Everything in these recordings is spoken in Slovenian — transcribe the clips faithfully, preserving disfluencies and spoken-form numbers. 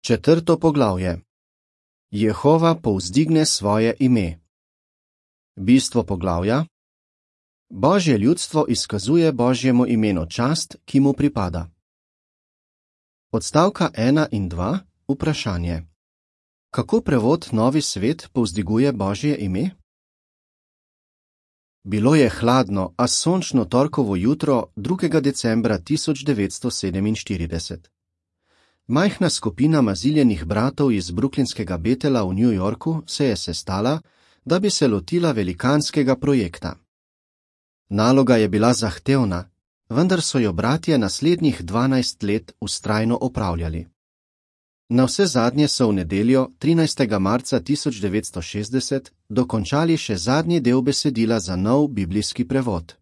Četrto poglavje. Jehova povzdigne svoje ime. Bistvo poglavja. Božje ljudstvo izkazuje Božjemu imenu čast, ki mu pripada. Odstavka ena in dva. Vprašanje. Kako prevod Novi svet povzdiguje Božje ime? Bilo je hladno, a sončno torkovo jutro drugega decembra tisoč devetsto sedeminštirideset. Majhna skupina maziljenih bratov iz bruklinskega Betela v New Yorku se je sestala, da bi se lotila velikanskega projekta. Naloga je bila zahtevna, vendar so jo bratje naslednjih dvanajst let vztrajno opravljali. Navsezadnje so v nedeljo, trinajstega marca tisoč devetsto šestdeset, dokončali še zadnji del besedila za nov biblijski prevod.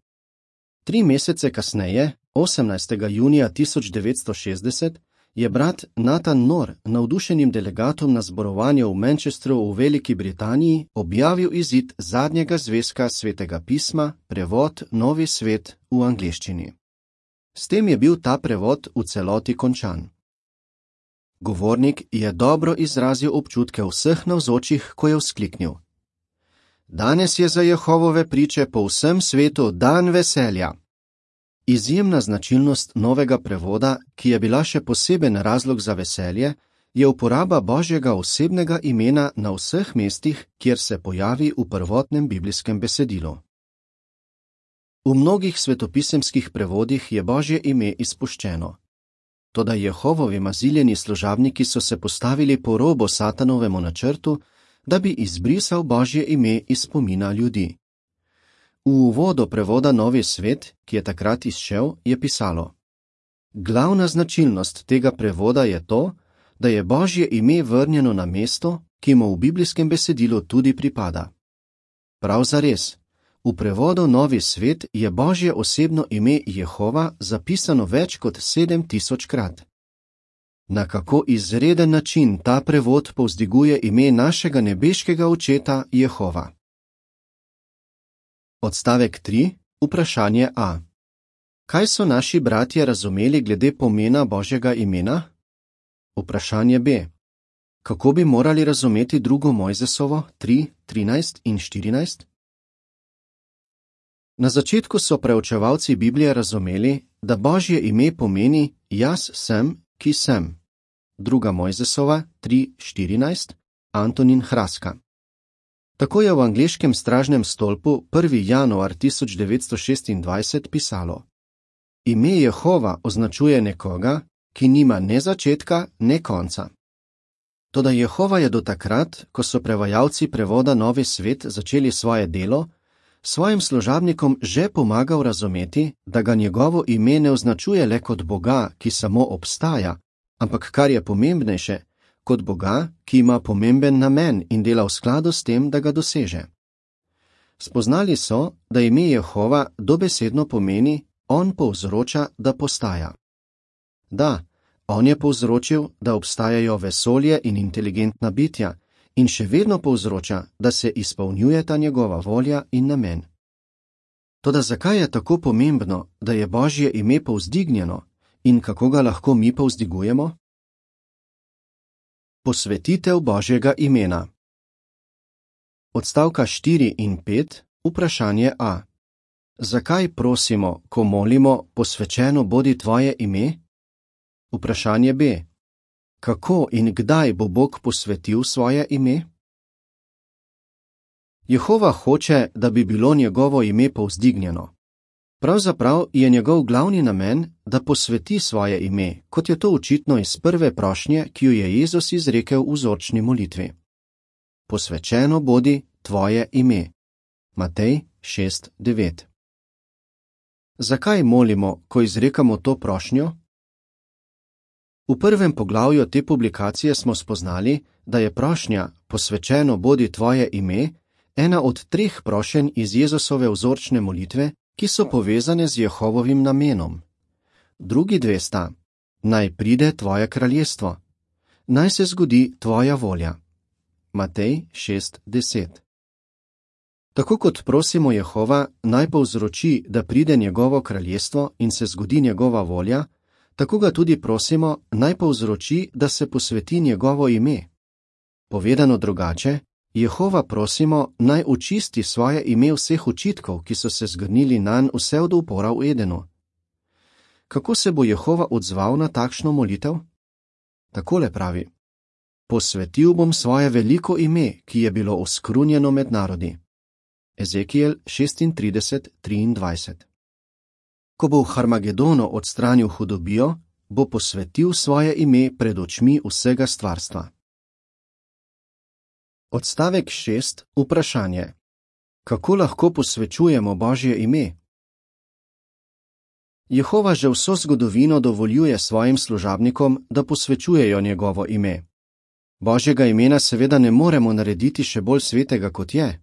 Tri mesece kasneje, osemnajstega junija tisoč devetsto šestdeset, je brat Nathan Knorr navdušenim delegatom na zborovanju v Manchesteru v Veliki Britaniji objavil izid zadnjega zvezka Svetega pisma, prevod Novi svet v angleščini. S tem je bil ta prevod v celoti končan. Govornik je dobro izrazil občutke vseh navzočih, ko je vzkliknil: Danes je za Jehovove priče po vsem svetu dan veselja. Izjemna značilnost novega prevoda, ki je bila še poseben razlog za veselje, je uporaba Božjega osebnega imena na vseh mestih, kjer se pojavi v prvotnem biblijskem besedilu. V mnogih svetopisemskih prevodih je Božje ime izpuščeno. Toda Jehovovi maziljeni služabniki so se postavili po robo Satanovemu načrtu, da bi izbrisal Božje ime iz spomina ljudi. V uvodu prevoda Novi svet, ki je takrat izšel, je pisalo: Glavna značilnost tega prevoda je to, da je Božje ime vrnjeno na mesto, ki mu v biblijskem besedilu tudi pripada. Prav zares, v prevodu Novi svet je Božje osebno ime Jehova zapisano več kot sedem tisočkrat. Na kako izreden način ta prevod povzdiguje ime našega nebeškega očeta Jehova. Odstavek tri. Vprašanje A. Kaj so naši bratje razumeli glede pomena Božjega imena? Vprašanje B. Kako bi morali razumeti drugo Mojzesovo tri, trinajst in štirinajst? Na začetku so preučevalci Biblije razumeli, da Božje ime pomeni jaz sem, ki sem. druga Mojzesova tri, štirinajst. Antonin Hraska. Tako je v angleškem stražnem stolpu prvega januarja tisoč devetsto šestindvajset pisalo: Ime Jehova označuje nekoga, ki nima ne začetka, ne konca. Toda Jehova je do takrat, ko so prevajalci prevoda Novi svet začeli svoje delo, svojim služabnikom že pomagal razumeti, da ga njegovo ime ne označuje le kot Boga, ki samo obstaja, ampak kar je pomembnejše, kot Boga, ki ima pomemben namen in dela v skladu s tem, da ga doseže. Spoznali so, da ime Jehova dobesedno pomeni, on povzroča, da postaja. Da, on je povzročil, da obstajajo vesolje in inteligentna bitja, in še vedno povzroča, da se izpolnjujeta njegova volja in namen. Toda zakaj je tako pomembno, da je Božje ime povzdignjeno in kako ga lahko mi povzdigujemo? Posvetitev Božjega imena. Odstavka štiri in pet. Vprašanje A. Zakaj prosimo, ko molimo, posvečeno bodi tvoje ime? Vprašanje B. Kako in kdaj bo Bog posvetil svoje ime? Jehova hoče, da bi bilo njegovo ime povzdignjeno. Pravzaprav je njegov glavni namen, da posveti svoje ime, kot je to očitno iz prve prošnje, ki jo je Jezus izrekel v vzorčni molitvi. Posvečeno bodi tvoje ime. Matej šest, devet. Zakaj molimo, ko izrekamo to prošnjo? V prvem poglavju te publikacije smo spoznali, da je prošnja posvečeno bodi tvoje ime ena od treh prošenj iz Jezusove vzorčne molitve, ki so povezane z Jehovovim namenom. Drugi dve sta: naj pride tvoje kraljestvo, naj se zgodi tvoja volja. Matej šest, deset. Tako kot prosimo Jehova, naj povzroči, da pride njegovo kraljestvo in se zgodi njegova volja, Tako ga tudi prosimo, naj povzroči, da se posveti njegovo ime. Povedano drugače, Jehova prosimo, naj očisti svoje ime vseh očitkov, ki so se zgrnili nanj vse od upora v Edenu. Kako se bo Jehova odzval na takšno molitev? Takole pravi: Posvetil bom svoje veliko ime, ki je bilo oskrunjeno med narodi. Ezekijel šestintrideset triindvajset. Ko bo v Harmagedonu odstranil hudobijo, bo posvetil svoje ime pred očmi vsega stvarstva. Odstavek šest. Vprašanje. Kako lahko posvečujemo Božje ime? Jehova že vso zgodovino dovoljuje svojim služabnikom, da posvečujejo njegovo ime. Božjega imena seveda ne moremo narediti še bolj svetega, kot je.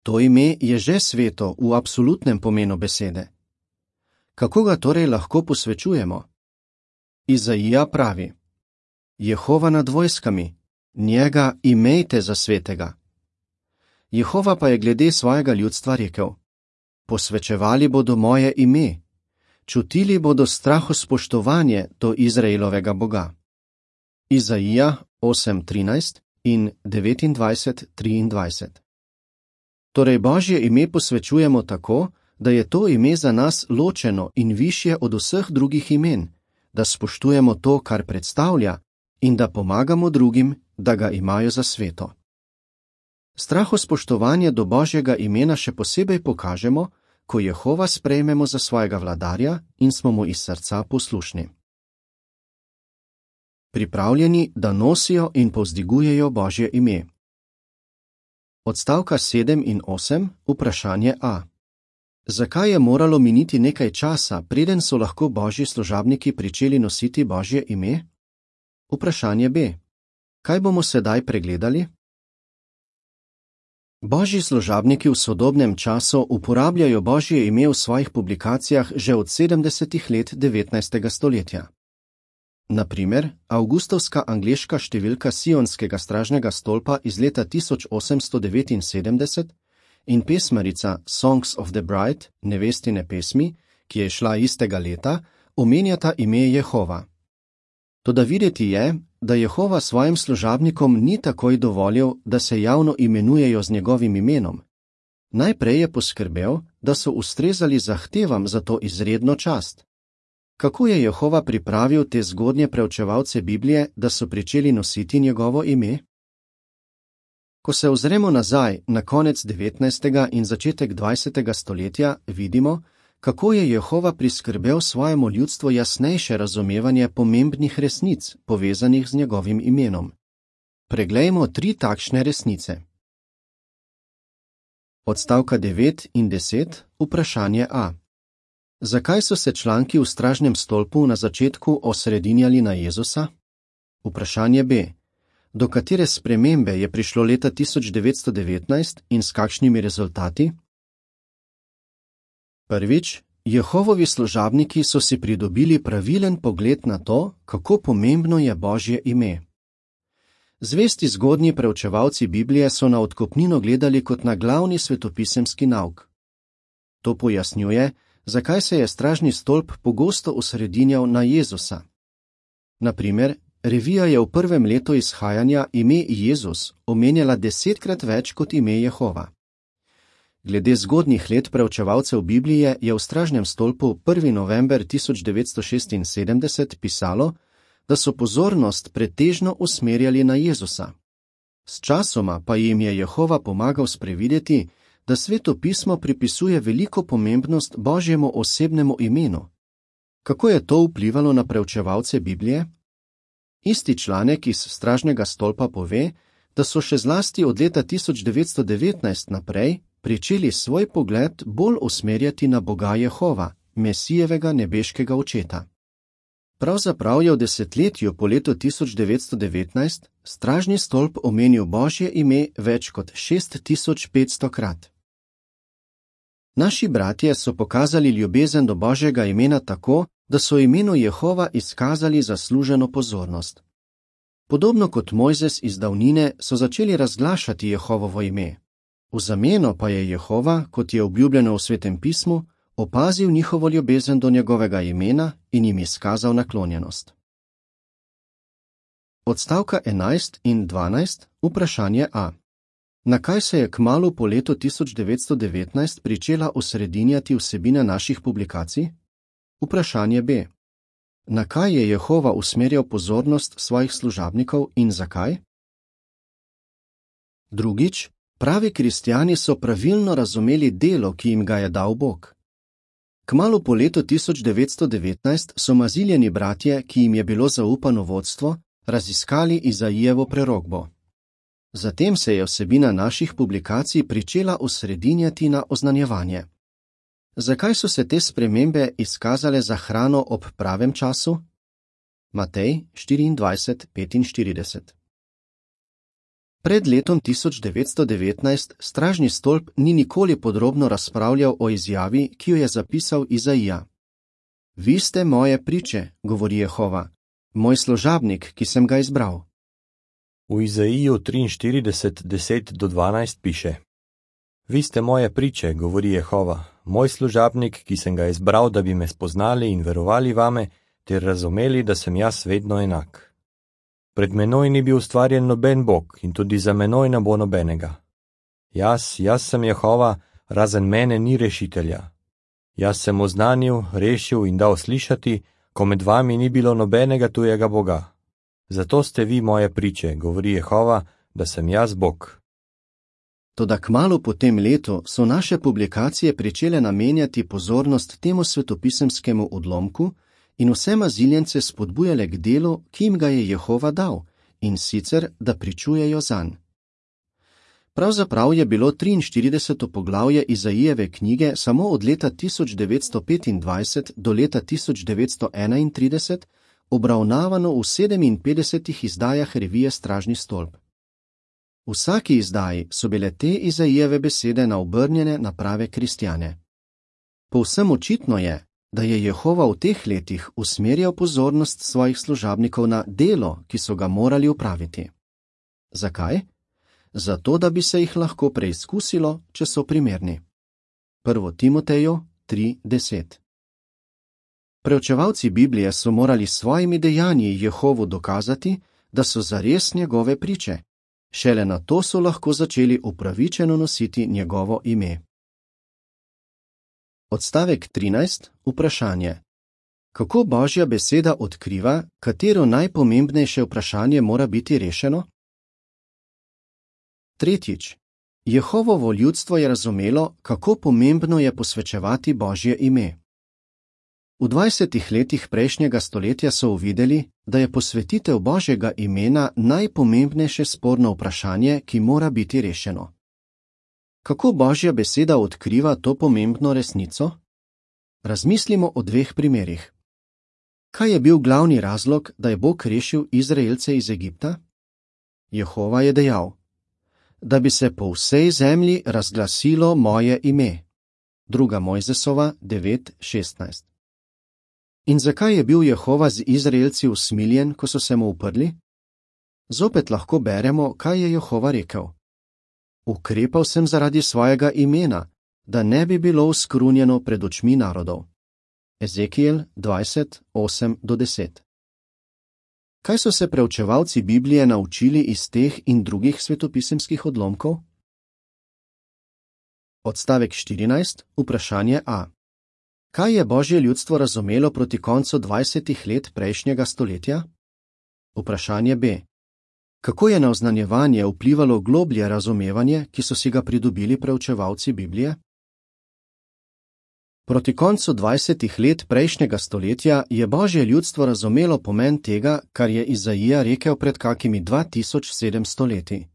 To ime je že sveto v absolutnem pomenu besede. Kako ga torej lahko posvečujemo? Izaija pravi: Jehova nad vojskami, njega imejte za svetega. Jehova pa je glede svojega ljudstva rekel: Posvečevali bodo moje ime, čutili bodo strahospoštovanje do Izraelovega Boga. Izaija osem trinajst in devetindvajset triindvajset. Torej Božje ime posvečujemo tako, da je to ime za nas ločeno in višje od vseh drugih imen, da spoštujemo to, kar predstavlja, in da pomagamo drugim, da ga imajo za sveto. Strahospoštovanje do Božjega imena še posebej pokažemo, ko Jehova sprejmemo za svojega vladarja in smo mu iz srca poslušni. Pripravljeni, da nosijo in povzdigujejo Božje ime. Odstavka sedem in osem. Vprašanje A. Zakaj je moralo miniti nekaj časa, preden so lahko Božji služabniki pričeli nositi Božje ime? Vprašanje B. Kaj bomo sedaj pregledali? Božji služabniki v sodobnem času uporabljajo Božje ime v svojih publikacijah že od sedemdesetih let devetnajstega stoletja. Na primer, avgustovska angleška številka sionskega stražnega stolpa iz leta tisoč osemsto devetinsedemdeset in pesmarica Songs of the Bride, nevestine pesmi, ki je šla istega leta, omenjata ime Jehova. Toda videti je, da Jehova svojim služabnikom ni takoj dovolil, da se javno imenujejo z njegovim imenom. Najprej je poskrbel, da so ustrezali zahtevam za to izredno čast. Kako je Jehova pripravil te zgodnje preučevalce Biblije, da so pričeli nositi njegovo ime? Ko se ozremo nazaj na konec devetnajstega in začetek dvajsetega stoletja, vidimo, kako je Jehova priskrbel svojemu ljudstvu jasnejše razumevanje pomembnih resnic, povezanih z njegovim imenom. Preglejmo tri takšne resnice. Odstavka devet in deset. Vprašanje A. Zakaj so se članki v stražnem stolpu na začetku osredinjali na Jezusa? Vprašanje B. Do katere spremembe je prišlo leta tisoč devetsto devetnajst in s kakšnimi rezultati? Prvič, Jehovovi služabniki so si pridobili pravilen pogled na to, kako pomembno je Božje ime. Zvesti zgodnji preučevalci Biblije so na odkupnino gledali kot na glavni svetopisemski nauk. To pojasnjuje, zakaj se je stražni stolp pogosto osredinjal na Jezusa. Na primer, revija je v prvem letu izhajanja ime Jezus omenjala desetkrat več kot ime Jehova. Glede zgodnjih let preučevalcev Biblije je v stražnem stolpu prvega novembra tisoč devetsto šestinsedemdeset pisalo, da so pozornost pretežno usmerjali na Jezusa. S časoma pa jim je Jehova pomagal sprevideti, da Sveto pismo pripisuje veliko pomembnost Božjemu osebnemu imenu. Kako je to vplivalo na preučevalce Biblije? Isti članek iz stražnega stolpa pove, da so še zlasti od leta tisoč devetsto devetnajst naprej pričeli svoj pogled bolj usmerjati na Boga Jehova, Mesijevega nebeškega očeta. Pravzaprav je v desetletju po letu tisoč devetsto devetnajst stražni stolp omenil Božje ime več kot šest tisoč petsto krat. Naši bratje so pokazali ljubezen do Božjega imena tako, da so imenu Jehova izkazali zasluženo pozornost. Podobno kot Mojzes iz davnine so začeli razglašati Jehovovo ime. V zameno pa je Jehova, kot je obljubljeno v Svetem pismu, opazil njihovo ljubezen do njegovega imena in jim izkazal naklonjenost. Odstavka enajst in dvanajst, vprašanje A. Na kaj se je kmalu po letu tisoč devetsto devetnajst pričela osredinjati vsebina naših publikacij? Vprašanje B. Na kaj je Jehova usmerjal pozornost svojih služabnikov in zakaj? Drugič, pravi kristjani so pravilno razumeli delo, ki jim ga je dal Bog. Kmalu po letu tisoč devetsto devetnajst so Maziljeni bratje, ki jim je bilo zaupano vodstvo, raziskali Izaijevo prerokbo. Zatem se je vsebina naših publikacij pričela osredinjati na oznanjevanje. Zakaj so se te spremembe izkazale za hrano ob pravem času? Matej štiriindvajset petinštirideset. Pred letom tisoč devetsto devetnajst stražni stolp ni nikoli podrobno razpravljal o izjavi, ki jo je zapisal Izaija. Vi ste moje priče, govori Jehova, moj služabnik, ki sem ga izbral. V Izaiju triinštirideset deset do dvanajst piše: Vi ste moje priče, govori Jehova, moj služabnik, ki sem ga izbral, da bi me spoznali in verovali vame, ter razumeli, da sem jaz vedno enak. Pred menoj ni bil ustvarjen noben Bog in tudi za menoj ne bo nobenega. Jaz, jaz sem Jehova, razen mene ni rešitelja. Jaz sem oznanil, rešil in dal slišati, ko med vami ni bilo nobenega tujega Boga. Zato ste vi moje priče, govori Jehova, da sem jaz Bog. Toda kmalu po tem letu so naše publikacije pričele namenjati pozornost temu svetopisemskemu odlomku in vse maziljence spodbujale k delu, ki jim ga je Jehova dal, in sicer, da pričujejo zanj. Pravzaprav je bilo triinštirideseto poglavje Izaijeve knjige samo od leta tisoč devetsto petindvajset do leta tisoč devetsto enaintrideset obravnavano v sedeminpetdesetih izdajah revije Stražni stolp. V vsaki izdaji so bile te Izaijeve besede naobrnjene na prave kristjane. Povsem očitno je, da je Jehova v teh letih usmerjal pozornost svojih služabnikov na delo, ki so ga morali opraviti. Zakaj? Zato, da bi se jih lahko preizkusilo, če so primerni. Prvo Timoteju tri deset. Preučevalci Biblije so morali s svojimi dejanji Jehovu dokazati, da so zares njegove priče. Šele na to so lahko začeli upravičeno nositi njegovo ime. Odstavek trinajst. Vprašanje. Kako Božja beseda odkriva, katero najpomembnejše vprašanje mora biti rešeno? Tretjič. Jehovovo ljudstvo je razumelo, kako pomembno je posvečevati Božje ime. V dvajsetih letih prejšnjega stoletja so uvideli, da je posvetitev Božjega imena najpomembnejše sporno vprašanje, ki mora biti rešeno. Kako Božja beseda odkriva to pomembno resnico? Razmislimo o dveh primerih. Kaj je bil glavni razlog, da je Bog rešil Izraelce iz Egipta? Jehova je dejal: da bi se po vsej zemlji razglasilo moje ime. Druga Mojzesova devet šestnajst. In zakaj je bil Jehova z Izraelci usmiljen, ko so se mu uprli? Zopet lahko beremo, kaj je Jehova rekel. Ukrepal sem zaradi svojega imena, da ne bi bilo uskrunjeno pred očmi narodov. Ezekijel dvajset osem do deset. Kaj so se preučevalci Biblije naučili iz teh in drugih svetopisemskih odlomkov? Odstavek štirinajst. Vprašanje A. Kaj je Božje ljudstvo razumelo proti koncu dvajsetih let prejšnjega stoletja? Vprašanje B. Kako je na oznanjevanje vplivalo globlje razumevanje, ki so si ga pridobili preučevalci Biblije? Proti koncu dvajsetih let prejšnjega stoletja je Božje ljudstvo razumelo pomen tega, kar je Izaija rekel pred kakimi dva tisoč sedemsto leti.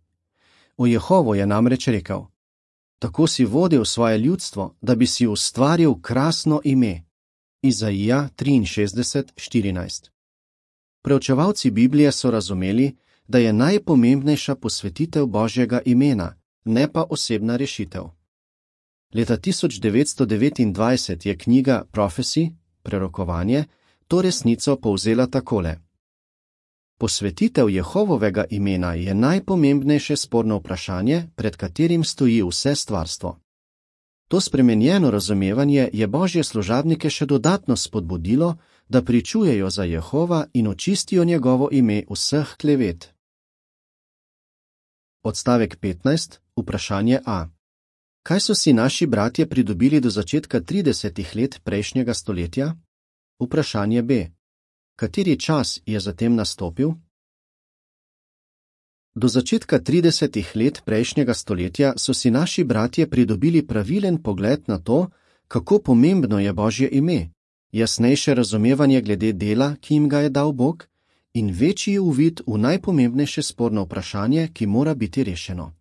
O Jehovo je namreč rekel: tako si vodil svoje ljudstvo, da bi si ustvaril krasno ime. Izaija triinšestdeset štirinajst. Preučevalci Biblije so razumeli, da je najpomembnejša posvetitev Božjega imena, ne pa osebna rešitev. Leta tisoč devetsto devetindvajset je knjiga Prophecy, prerokovanje, to resnico povzela takole. Posvetitev Jehovovega imena je najpomembnejše sporno vprašanje, pred katerim stoji vse stvarstvo. To spremenjeno razumevanje je Božje služabnike še dodatno spodbudilo, da pričujejo za Jehova in očistijo njegovo ime vseh klevet. Odstavek petnajst. Vprašanje A. Kaj so si naši bratje pridobili do začetka tridesetih let prejšnjega stoletja? Vprašanje B. Kateri čas je zatem nastopil? Do začetka tridesetih let prejšnjega stoletja so si naši bratje pridobili pravilen pogled na to, kako pomembno je Božje ime, jasnejše razumevanje glede dela, ki jim ga je dal Bog, in večji uvid v najpomembnejše sporno vprašanje, ki mora biti rešeno.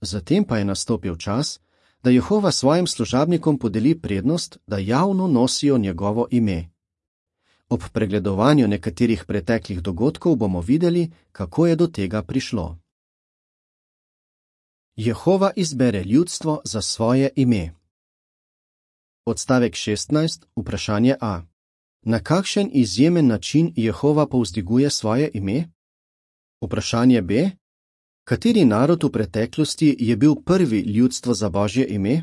Zatem pa je nastopil čas, da Jehova svojim služabnikom podeli prednost, da javno nosijo njegovo ime. Ob pregledovanju nekaterih preteklih dogodkov bomo videli, kako je do tega prišlo. Jehova izbere ljudstvo za svoje ime. Odstavek šestnajst. Vprašanje A. Na kakšen izjemen način Jehova povzdiguje svoje ime? Vprašanje B. Kateri narod v preteklosti je bil prvi ljudstvo za Božje ime?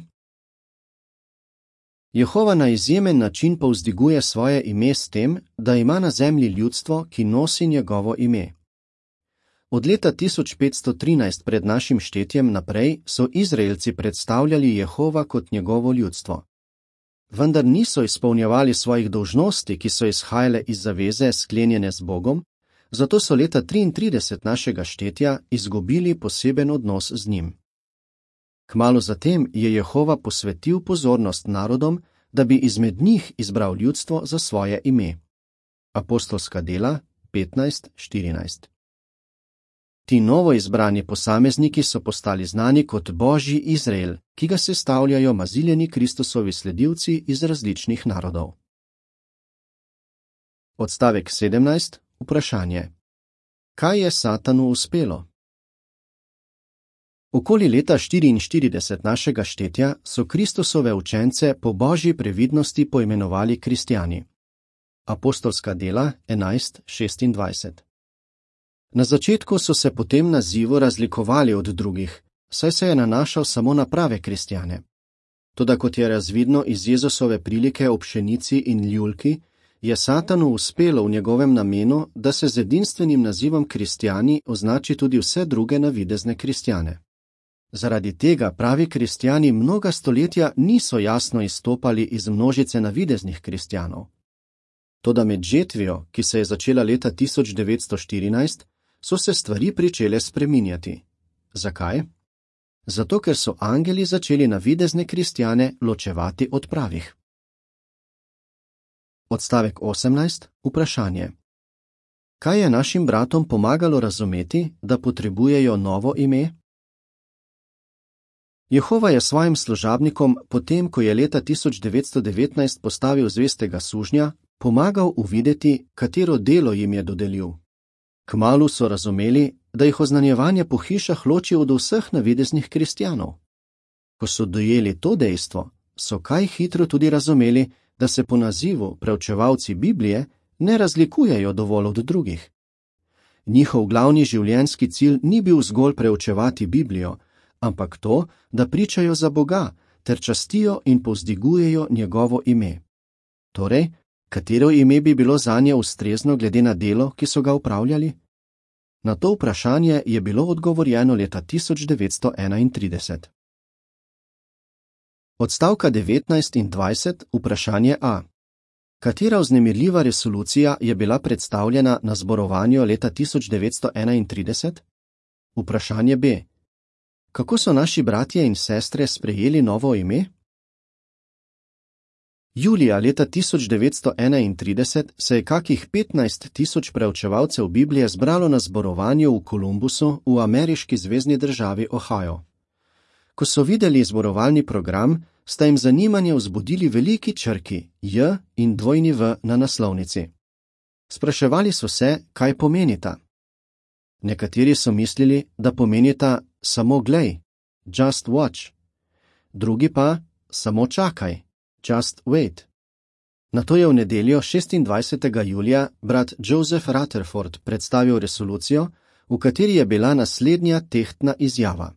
Jehova na izjemen način povzdiguje svoje ime s tem, da ima na zemlji ljudstvo, ki nosi njegovo ime. Od leta tisoč petsto trinajst pred našim štetjem naprej so Izraelci predstavljali Jehova kot njegovo ljudstvo. Vendar niso izpolnjevali svojih dolžnosti, ki so izhajale iz zaveze sklenjene z Bogom, zato so leta triintrideset našega štetja izgubili poseben odnos z njim. Kmalu zatem je Jehova posvetil pozornost narodom, da bi izmed njih izbral ljudstvo za svoje ime. Apostolska dela petnajst štirinajst. Ti novo izbrani posamezniki so postali znani kot Božji Izrael, ki ga sestavljajo maziljeni Kristusovi sledilci iz različnih narodov. Odstavek sedemnajst. Vprašanje. Kaj je Satanu uspelo? Okoli leta štiriinštirideset našega štetja so Kristusove učence po Božji previdnosti poimenovali kristjani. Apostolska dela enajst šestindvajset. Na začetku so se po tem nazivu razlikovali od drugih, saj se je nanašal samo na prave kristjane. Toda kot je razvidno iz Jezusove prilike o pšenici in ljulki, je Satanu uspelo v njegovem namenu, da se z edinstvenim nazivom kristjani označi tudi vse druge navidezne kristjane. Zaradi tega pravi kristjani mnoga stoletja niso jasno izstopali iz množice navideznih kristjanov. Toda med žetvijo, ki se je začela leta tisoč devetsto štirinajst, so se stvari pričele spreminjati. Zakaj? Zato, ker so angeli začeli navidezne kristjane ločevati od pravih. Odstavek osemnajst. Vprašanje. Kaj je našim bratom pomagalo razumeti, da potrebujejo novo ime? Jehova je svojim služabnikom, potem ko je leta tisoč devetsto devetnajst postavil zvestega sužnja, pomagal uvideti, katero delo jim je dodelil. Kmalu so razumeli, da jih oznanjevanje po hišah loči od vseh navideznih kristjanov. Ko so dojeli to dejstvo, so kaj hitro tudi razumeli, da se po nazivu preučevalci Biblije ne razlikujejo dovolj od drugih. Njihov glavni življenjski cilj ni bil zgolj preučevati Biblijo, ampak to, da pričajo za Boga ter častijo in povzdigujejo njegovo ime. Torej, katero ime bi bilo zanje ustrezno glede na delo, ki so ga upravljali? Na to vprašanje je bilo odgovorjeno leta tisoč devetsto enaintrideset. Odstavka devetnajst in dvajset. Vprašanje A. Katera vznemirljiva resolucija je bila predstavljena na zborovanju leta tisoč devetsto enaintrideset? Vprašanje B. Kako so naši bratje in sestre sprejeli novo ime? Julija leta tisoč devetsto enaintrideset se je kakih petnajst tisoč preučevalcev Biblije zbralo na zborovanju v Kolumbusu v ameriški zvezni državi Ohio. Ko so videli zborovalni program, sta jim zanimanje vzbudili veliki črki J in dvojni V na naslovnici. Spraševali so se, kaj pomenita. Nekateri so mislili, da pomenita samo glej, just watch, drugi pa samo čakaj, just wait. Nato je v nedeljo šestindvajsetega julija brat Joseph Rutherford predstavil resolucijo, v kateri je bila naslednja tehtna izjava.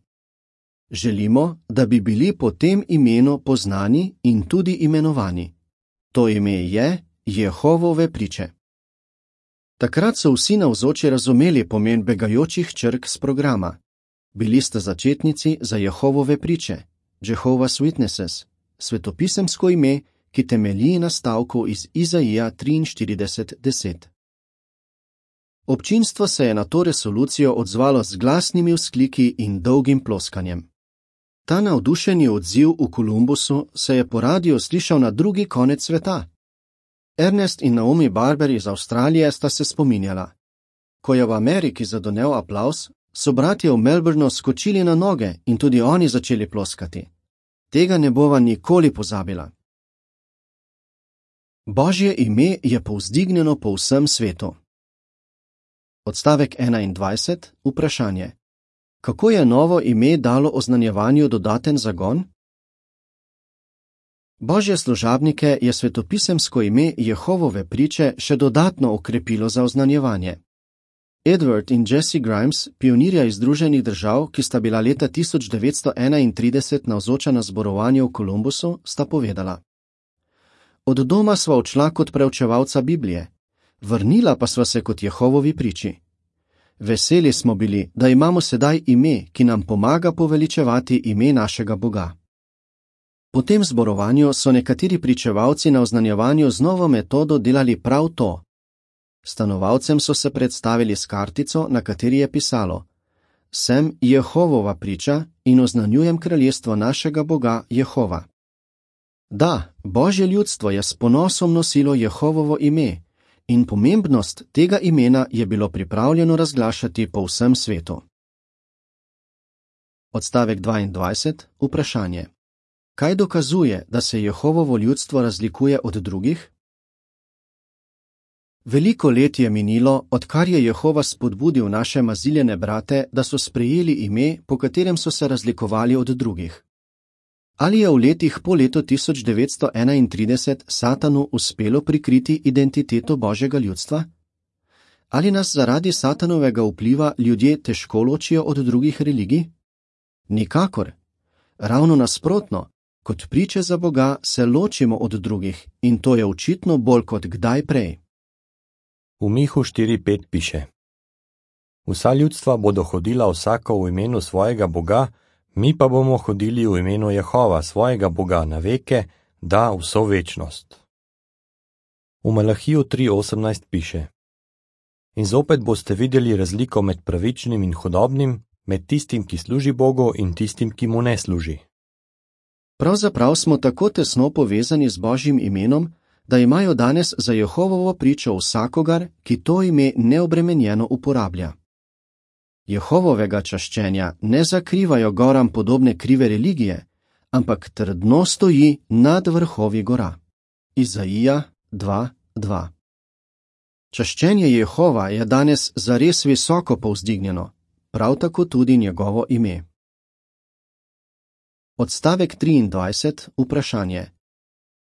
Želimo, da bi bili po tem imenu poznani in tudi imenovani. To ime je Jehovove priče. Takrat so vsi navzoči razumeli pomen begajočih črk z programa. Bili sta začetnici za Jehovove priče, Jehovah's Witnesses, svetopisemsko ime, ki temelji na stavku iz Izaija triinštirideset deset. Občinstvo se je na to resolucijo odzvalo z glasnimi vzkliki in dolgim ploskanjem. Ta navdušeni odziv v Kolumbusu se je po radiu slišal na drugi konec sveta. Ernest in Naomi Barber iz Avstralije sta se spominjala. Ko je v Ameriki zadonel aplavz, so bratje v Melbourneu skočili na noge in tudi oni začeli ploskati. Tega ne bova nikoli pozabila. Božje ime je povzdignjeno po vsem svetu. Odstavek enaindvajset. Vprašanje. Kako je novo ime dalo oznanjevanju dodaten zagon? Božje služabnike je svetopisemsko ime Jehovove priče še dodatno okrepilo za oznanjevanje. Edward in Jesse Grimes, pionirja iz Združenih držav, ki sta bila leta tisoč devetsto enaintrideset navzoča na zborovanju v Kolumbusu, sta povedala: Od doma sva odšla kot preučevalca Biblije, vrnila pa sva se kot Jehovovi priči. Veseli smo bili, da imamo sedaj ime, ki nam pomaga poveličevati ime našega Boga. Po tem zborovanju so nekateri pričevalci na oznanjevanju z novo metodo delali prav to. Stanovalcem so se predstavili s kartico, na kateri je pisalo: Sem Jehovova priča in oznanjujem kraljestvo našega Boga Jehova. Da, Božje ljudstvo je s ponosom nosilo Jehovovo ime in pomembnost tega imena je bilo pripravljeno razglašati po vsem svetu. Odstavek dvaindvajset. Vprašanje. Kaj dokazuje, da se Jehovovo ljudstvo razlikuje od drugih? Veliko let je minilo, odkar je Jehova spodbudil naše maziljene brate, da so sprejeli ime, po katerem so se razlikovali od drugih. Ali je v letih po letu tisoč devetsto enaintrideset Satanu uspelo prikriti identiteto Božjega ljudstva? Ali nas zaradi Satanovega vpliva ljudje težko ločijo od drugih religij? Nikakor. Ravno nasprotno, kot priče za Boga se ločimo od drugih in to je očitno bolj kot kdaj prej. V Mihu štiri pet piše: Vsa ljudstva bodo hodila vsako v imenu svojega Boga, mi pa bomo hodili v imenu Jehova, svojega Boga, na veke, da vso večnost. V Malahiju tri osemnajst piše: In zopet boste videli razliko med pravičnim in hudobnim, med tistim, ki služi Bogu in tistim, ki mu ne služi. Pravzaprav smo tako tesno povezani z Božjim imenom, da imajo danes za Jehovovo pričo vsakogar, ki to ime neobremenjeno uporablja. Jehovovega čaščenja ne zakrivajo goram podobne krive religije, ampak trdno stoji nad vrhovi gora. Izaija dva dva. Čaščenje Jehova je danes zares visoko povzdignjeno, prav tako tudi njegovo ime. Odstavek triindvajset. Vprašanje.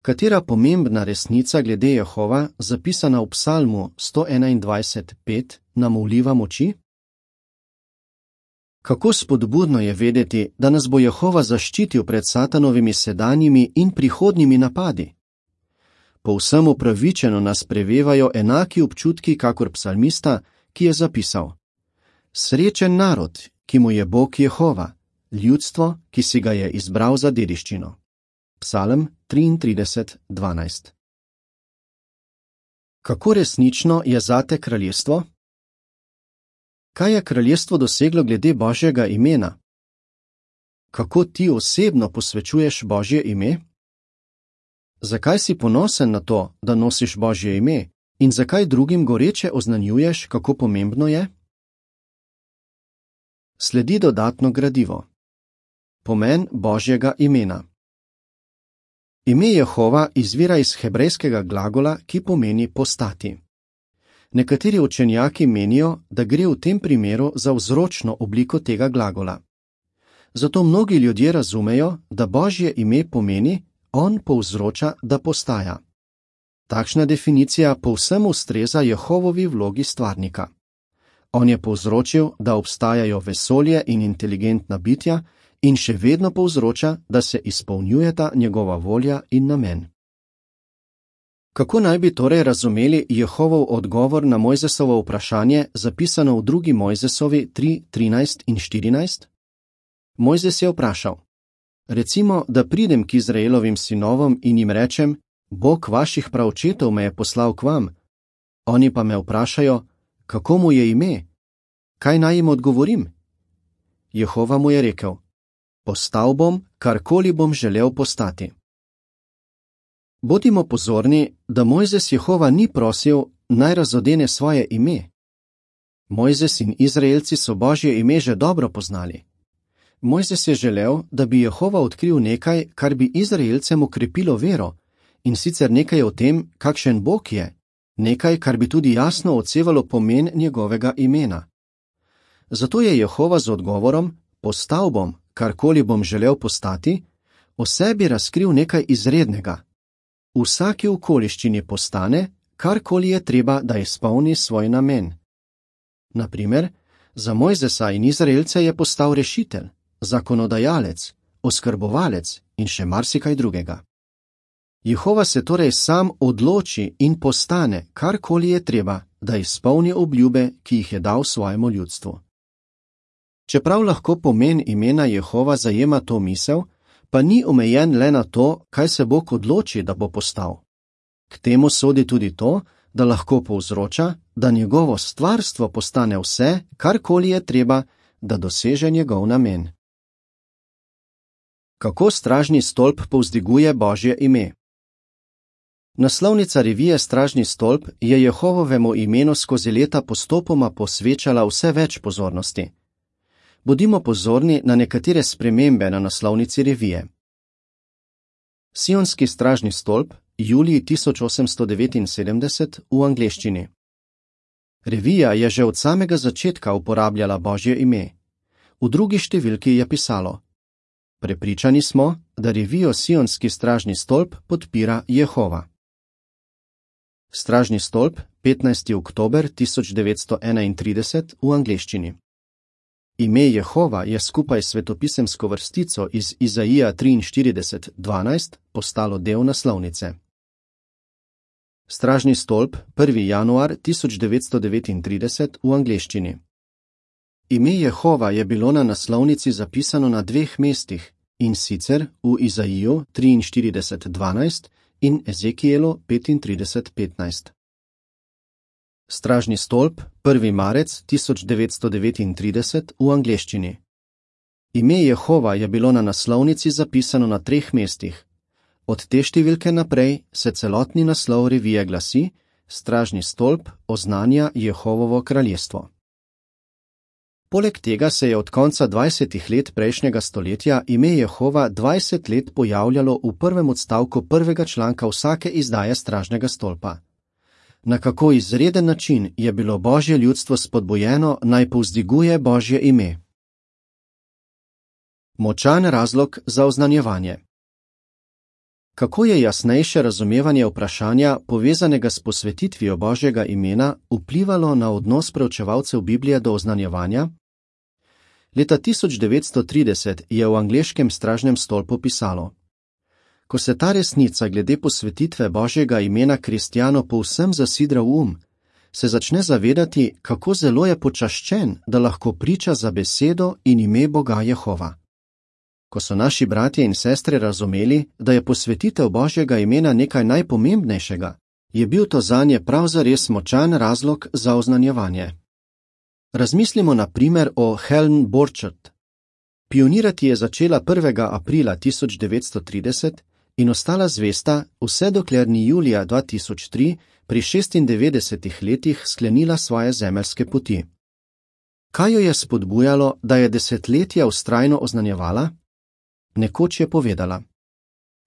Katera pomembna resnica glede Jehova, zapisana v Psalmu sto enaindvajset pet, nam vliva moči? Kako spodbudno je vedeti, da nas bo Jehova zaščitil pred Satanovimi sedanjimi in prihodnjimi napadi. Povsem upravičeno nas prevevajo enaki občutki kakor psalmista, ki je zapisal: Srečen narod, ki mu je Bog Jehova, ljudstvo, ki si ga je izbral za dediščino. Psalm triintrideset dvanajst. Kako resnično je zate kraljestvo? Kaj je kraljestvo doseglo glede Božjega imena? Kako ti osebno posvečuješ Božje ime? Zakaj si ponosen na to, da nosiš Božje ime in zakaj drugim goreče oznanjuješ, kako pomembno je? Sledi dodatno gradivo. Pomen Božjega imena. Ime Jehova izvira iz hebrejskega glagola, ki pomeni postati. Nekateri učenjaki menijo, da gre v tem primeru za vzročno obliko tega glagola. Zato mnogi ljudje razumejo, da Božje ime pomeni, on povzroča, da postaja. Takšna definicija povsem ustreza Jehovovi vlogi stvarnika. On je povzročil, da obstajajo vesolje in inteligentna bitja in še vedno povzroča, da se izpolnjujeta njegova volja in namen. Kako naj bi torej razumeli Jehovov odgovor na Mojzesovo vprašanje, zapisano v drugi Mojzesovi tri, trinajst in štirinajst? Mojzes je vprašal: Recimo, da pridem k Izraelovim sinovom in jim rečem: Bog vaših praočetov me je poslal k vam. Oni pa me vprašajo: Kako mu je ime? Kaj naj jim odgovorim? Jehova mu je rekel: Postal bom, karkoli bom želel postati. Bodimo pozorni, da Mojzes Jehova ni prosil, naj razodene svoje ime. Mojzes in Izraelci so Božje ime že dobro poznali. Mojzes je želel, da bi Jehova odkril nekaj, kar bi Izraelcem okrepilo vero, in sicer nekaj o tem, kakšen Bog je, nekaj, kar bi tudi jasno odsevalo pomen njegovega imena. Zato je Jehova z odgovorom: Postal bom, karkoli bom želel postati, o sebi razkril nekaj izrednega. V vsaki okoliščini postane, karkoli je treba, da izpolni svoj namen. Naprimer, za Mojzesa in Izraelce je postal rešitelj, zakonodajalec, oskrbovalec in še marsikaj drugega. Jehova se torej sam odloči in postane, karkoli je treba, da izpolni obljube, ki jih je dal svojemu ljudstvu. Čeprav lahko pomen imena Jehova zajema to misel, pa ni omejen le na to, kaj se Bog odloči, da bo postal. K temu sodi tudi to, da lahko povzroča, da njegovo stvarstvo postane vse, karkoli je treba, da doseže njegov namen. Kako stražni stolp povzdiguje Božje ime? Naslovnica revije Stražni stolp je Jehovovemu imenu skozi leta postopoma posvečala vse več pozornosti. Bodimo pozorni na nekatere spremembe na naslovnici revije. Sionski stražni stolp, julij tisoč osemsto devetinsedemdeset v angleščini. Revija je že od samega začetka uporabljala Božje ime. V drugi številki je pisalo: Prepričani smo, da revijo Sionski stražni stolp podpira Jehova. Stražni stolp, petnajsti oktober tisoč devetsto enaintrideset v angleščini. Ime Jehova je skupaj s svetopisemsko vrstico iz Izaija triinštirideset dvanajst postalo del naslovnice. Stražni stolp, prvi januar tisoč devetsto devetintrideset v angleščini. Ime Jehova je bilo na naslovnici zapisano na dveh mestih, in sicer v Izaiju triinštirideset dvanajst in Ezekielu petintrideset petnajst. Stražni stolp, prvi marec tisoč devetsto devetintrideset v angleščini. Ime Jehova je bilo na naslovnici zapisano na treh mestih. Od te številke naprej se celotni naslov revije glasi: Stražni stolp oznanja Jehovovo kraljestvo. Poleg tega se je od konca dvajsetih let prejšnjega stoletja ime Jehova dvajset let pojavljalo v prvem odstavku prvega članka vsake izdaje Stražnega stolpa. Na kako izreden način je bilo Božje ljudstvo spodbujeno, naj povzdiguje Božje ime. Močan razlog za oznanjevanje. Kako je jasnejše razumevanje vprašanja, povezanega s posvetitvijo Božjega imena, vplivalo na odnos preučevalcev Biblije do oznanjevanja? Leta tisoč devetsto trideset je v angleškem stražnem stolpu pisalo: Ko se ta resnica glede posvetitve Božjega imena kristjanu povsem zasidra v um, se začne zavedati, kako zelo je počaščen, da lahko priča za besedo in ime Boga Jehova. Ko so naši bratje in sestre razumeli, da je posvetitev Božjega imena nekaj najpomembnejšega, je bil to zanje prav zares močan razlog za oznanjevanje. Razmislimo na primer o Helen Borchert. Pionirati je začela prvega aprila tisoč devetsto trideset in ostala zvesta, vse dokler ni julija dva tisoč tri pri šestindevetdesetih letih sklenila svoje zemeljske poti. Kaj jo je spodbujalo, da je desetletja vztrajno oznanjevala? Nekoč je povedala: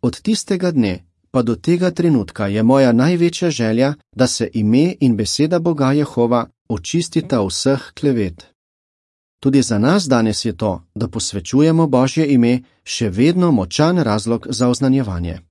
Od tistega dne pa do tega trenutka je moja največja želja, da se ime in beseda Boga Jehova očistita vseh klevet. Tudi za nas danes je to, da posvečujemo Božje ime, še vedno močan razlog za oznanjevanje.